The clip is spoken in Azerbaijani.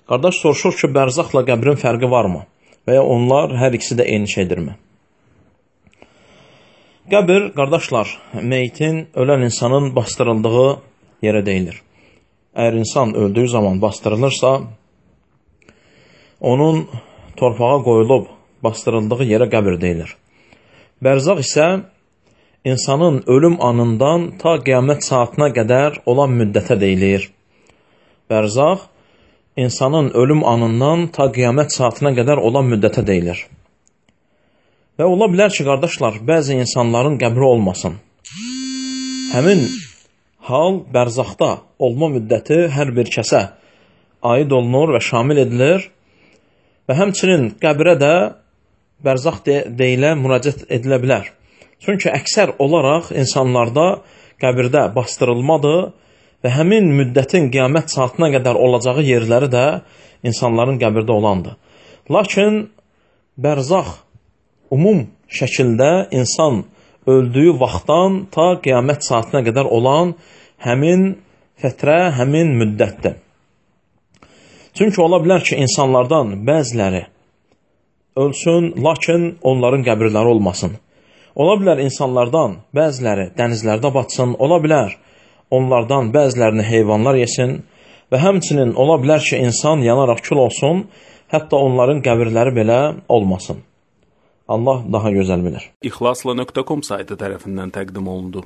Qardaş soruşur ki, bərzaqla qəbrin fərqi varmı? Və ya onlar hər ikisi də eyni şeydirmi? Qəbir, qardaşlar, meyitin, ölən insanın bastırıldığı yerə deyilir. Əgər insan öldüyü zaman bastırılırsa, onun torpağa qoyulub bastırıldığı yerə qəbir deyilir. Bərzaq isə insanın ölüm anından ta qiyamət saatına qədər olan müddətə deyilir. Bərzaq, insanın ölüm anından ta qiyamət saatına qədər olan müddətə deyilir. Və ola bilər ki, qardaşlar, bəzi insanların qəbri olmasın. Həmin hal bərzaqda olma müddəti hər bir kəsə aid olunur və şamil edilir və həmçinin qəbrə də bərzaq deyilə müraciət edilə bilər. Çünki əksər olaraq insanlarda qəbirdə bastırılmadır və həmin müddətin qiyamət saatına qədər olacağı yerləri də insanların qəbirdə olandır. Lakin bərzaq umum şəkildə insan öldüyü vaxtdan ta qiyamət saatına qədər olan həmin fətrə, həmin müddətdir. Çünki ola bilər ki, insanlardan bəziləri ölsün, lakin onların qəbirləri olmasın. Ola bilər insanlardan bəziləri dənizlərdə batsın, ola bilər onlardan bəzilərini heyvanlar yesin və həmçinin ola bilər ki, insan yanaraq kül olsun, hətta onların qəbirləri belə olmasın. Allah daha gözəl bilir. İxlasla.com saytı tərəfindən təqdim olundu.